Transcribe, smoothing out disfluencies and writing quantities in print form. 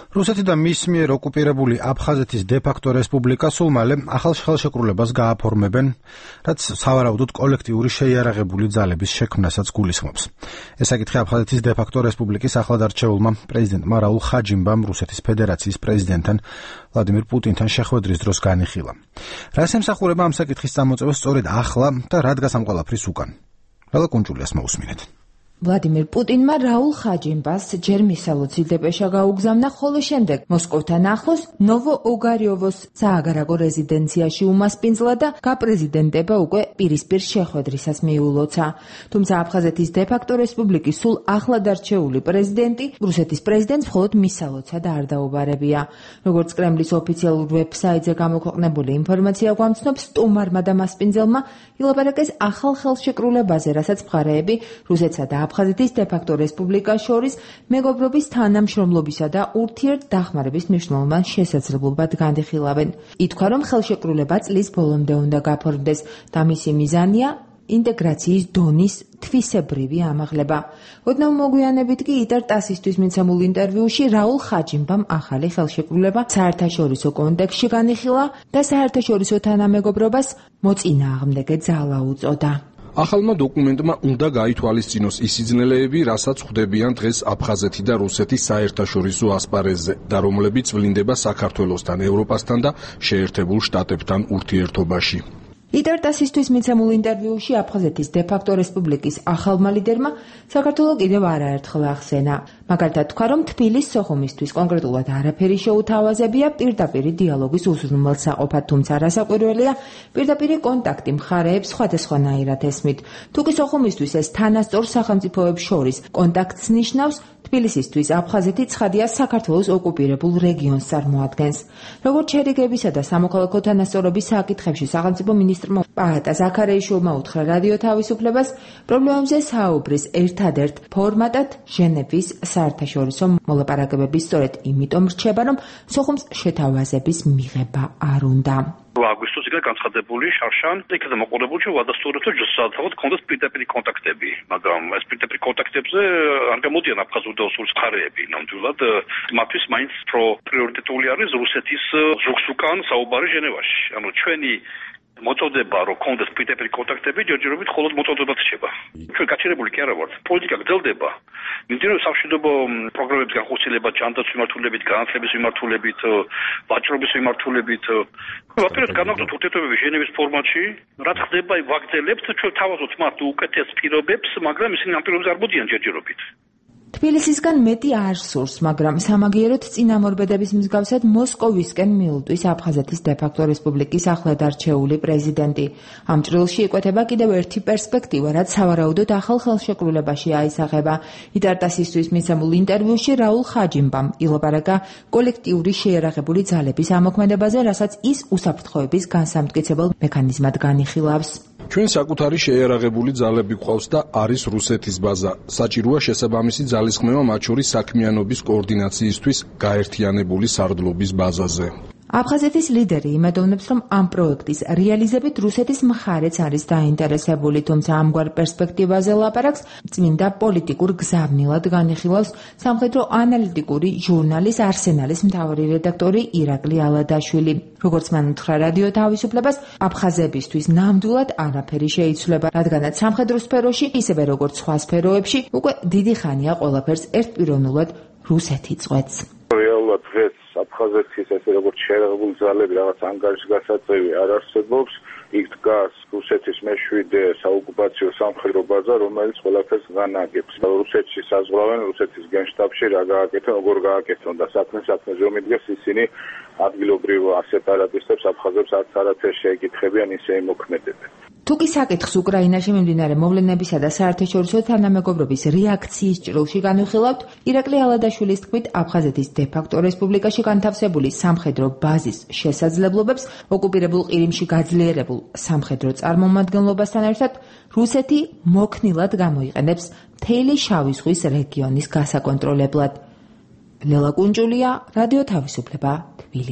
რუსეთი და მის მიერ ოკუპირებული აფხაზეთის დე-ფაქტო რესპუბლიკა სულ მალე ახალ ხელშეკრულებას გააფორმებენ, რაც სავარაუდოდ კოლექტიური შეიარაღებული ძალების შექმნასაც გულისხმობს. ეს საკითხი აფხაზეთის დე-ფაქტო რესპუბლიკის ახლად არჩეულმა პრეზიდენტმა რაულ ხაჯიმბამ რუსეთის ფედერაციის პრეზიდენტთან ვლადიმირ პუტინთან შეხვედრის დროს განიხილა. რას ემსახურება ამ საკითხის წამოწევა სწორედ ახლა და რა დგას ამ ყველაფრის უკან? რალა კუნჭულიას მოусმინეთ. ვლადიმირ პუტინმა რაულ ხაჯიმბას ჯერ მისალოცი დეპეშა გაუგზავნა, ხოლო შემდეგ მოსკოვთან ახლოს ნოვო-ოგარიოვოს სააგარაკო რეზიდენციაში უმასპინძლა და გაპრეზიდენტება უკვე პირისპირ შეხვედრისას მიულოცა. თუმცა აფხაზეთის დე-ფაქტო რესპუბლიკის სულ ახლად არჩეული პრეზიდენტი რუსეთის პრეზიდენტს მხოლოდ მისალოცა და არ დაუბარებია. როგორც კრემლის ოფიციალურ ვებსაიტზე გამოქვეყნებული ინფორმაცია გვამცნობს, სტუმარმა და მასპინძელმა ილაპარაკეს ახალ ხელშეკრულებაზე, რასაც მხარეები რუსეთსა და აფხაზეთის დე-ფაქტო რესპუბლიკას შორის მეგობრობის თანამშრომლობისა და ურთიერთდახმარების მნიშვნელოვან შესაძლებლობად განიხილავენ. ითქვა, რომ ხელშეკრულება წლის ბოლომდე უნდა გაფორმდეს და მისი მიზანია ინტეგრაციის დონის თვისებრივი ამაღლება. ოდნავ მოგვიანებით კი იტარ ტასისთვის მიცემულ ინტერვიუში რაულ ხაჯიმბამ ახალი ხელშეკრულება საერთაშორისო კონტექსტში განიხილა და საერთაშორისო თანამეგობრობას მოწინააღმდეგე ძალა უწოდა. ახალმა დოკუმენტმა უნდა გაითვალისწინოს ის სიძნელეები, რასაც ხვდებიან დღეს აფხაზეთი და რუსეთის საერთაშორისო ასპარეზზე და რომლებიც ვლინდება საქართველოსთან, ევროპასთან და შეერთებულ შტატებთან ურთიერთობაში. იტარ-ტასისთვის მიცემულ ინტერვიუში აფხაზეთის დე-ფაქტო რესპუბლიკის ახალმა ლიდერმა საქართველო კიდევ არაერთხელ ახსენა. მაგალითად თქვა, რომ თბილის სოხუმისთვის კონკრეტულად არაფერი შეუთავაზებია პირდაპირი დიალოგის უზრუნველსაყოფად, თუმცა რასაკვირველია, პირდაპირი კონტაქტი მხარეებს სხვადასხვანაირად ესმით. თუკი სოხუმისთვის ეს თანასწორ სახელმწიფოებს შორის კონტაქტს ნიშნავს, თბილისისთვის აფხაზეთი ცხადია საქართველოს ოკუპირებულ რეგიონს წარმოადგენს. როგორც შერიგებისა და სამოქალაქო თანასწორობის საკითხებში სახელმწიფო მინისტრმა პაატა ზაქარეიშვილმა უთხრა რადიო თავისუფლებას, პრობლემებზე საუბრის ერთადერთ ფორმატად ჟენევის საერთაშორისო მოლაპარაკებების სწორედ იმიტომ რჩება, რომ სოხუმს შეთავაზების მიღება არ უნდა. აგვისტოს იქნა განცხადებული შარშან, იქნა მოყოლებული, რომ ვადასტურებთ, რომ შესაძლოა კონდეს პირდაპირი კონტაქტები, მაგრამ ეს პირდაპირი კონტაქტებზე არ გამოდიან აფხაზურ და ოსურ მხარეები. ნამდვილად მათთვის მაინც პრიორიტეტული არის რუსეთის ზოგს უკან საუბარი ჟენევაში. ანუ ჩვენი მოწოდება რომ კონდეს პირდაპირი კონტაქტები ჯერჯერობით მხოლოდ მოწოდებად რჩება. ჩვენ გაჩერებული კი არა ვართ. პოლიტიკა გრძელდება. მიმდინარეობს სამშვიდობო პროგრამების განხორციელება, ჯანდაცვის მიმართულებით, განათლების მიმართულებით, ვაჭრობის მიმართულებით. ვაპირებთ განაგრძოთ ურთიერთობები ჟენევის ფორმატში, რაც ხდება ვაგრძელებთ, ჩვენ თავაზობთ მათ უკეთეს პირობებს, მაგრამ ისინი ამ პირობებს არ მოდიან ჯერჯერობით. თბილისისგან მეტი არ სურს, მაგრამ სამაგიეროდ წინამორბედების მსგავსად მოსკოვისკენ მიულტვის აფხაზეთის დე-ფაქტო რესპუბლიკის ახლად არჩეული პრეზიდენტი. ამ ჭრილში იკვეთება კიდევ ერთი პერსპექტივა, რაც სავარაუდოდ ახალ ხელშეკრულებაში აისახება. იტარ-ტასისთვის მიცემულ ინტერვიუში რაულ ხაჯიმბამ ილაპარაკა კოლექტიური შეიარაღებული ძალების ამოქმედებაზე, რასაც ის უსაფრთხოების განსამტკიცებელ მექანიზმად განიხილავს. ჩვენ საკუთარი შეიარაღებული ძალები გვყავს და არის რუსეთის ბაზა. საჭიროა შესაბამისი ძალისხმევა მათ შორის საქმიანობის კოორდინაციისთვის გაერთიანებული სარდლობის ბაზაზე. აფხაზეთის ლიდერი იმედოვნებს, რომ ამ პროექტის რეალიზებით რუსეთის მხარეც არის დაინტერესებული, თუმცა ამგვარ პერსპექტივაზე ლაპარაკს წმინდა პოლიტიკურ გზავნილად განიხილავს სამხედრო ანალიტიკური ჟურნალის არსენალის მთავარი რედაქტორი ირაკლი ალადაშვილი. როგორც მან უთხრა რადიო თავისუფლებას, აფხაზებისთვის ნამდვილად არაფერი შეიცვლება, რადგანაც სამხედრო სფეროში, ისევე როგორც სხვა სფეროებში, უკვე დიდი ხანია ყველაფერს ერთპიროვნულად რუსეთი წყვეტს. რეალურად დღეს აფხაზეთის ესე როგორც შეიარაღებული ძალები რაღაც ანგარიშის გასაწევი არ არსებობს. იქ დგას რუსეთის მეშვიდე საოკუპაციო სამხედრო ბაზა, რომელიც ყველაფერს განაგებს. რუსეთში საზღვრავენ, რუსეთის გენშტაბში რა გააკეთონ, როგორ გააკეთონ და საქმე რომ იდგეს ისინი ადგილობრივ სეპარატისტებს აფხაზებს არც არაფერს შეეკითხებიან, ისე იმოქმედებენ. თუკი საკითხს უკრაინაში მიმდინარე მოვლენებისა და საერთაშორისო თანამეგობრობის რეაქციის ჭრილში განვიხილავთ, ირაკლი ალადაშვილის თქმით, აფხაზეთის დე-ფაქტო რესპუბლიკაში განთავსებული სამხედრო ბაზის შესაძლებლობებს ოკუპირებულ ყირიმში გაძლიერებულ სამხედრო წარმომადგენლობასთან ერთად რუსეთი მოქნილად გამოიყენებს მთელი შავი ზღვის რეგიონის გასაკონტროლებლად. ლელა კუნჭულია, რადიო თავისუფლება, თბილისი.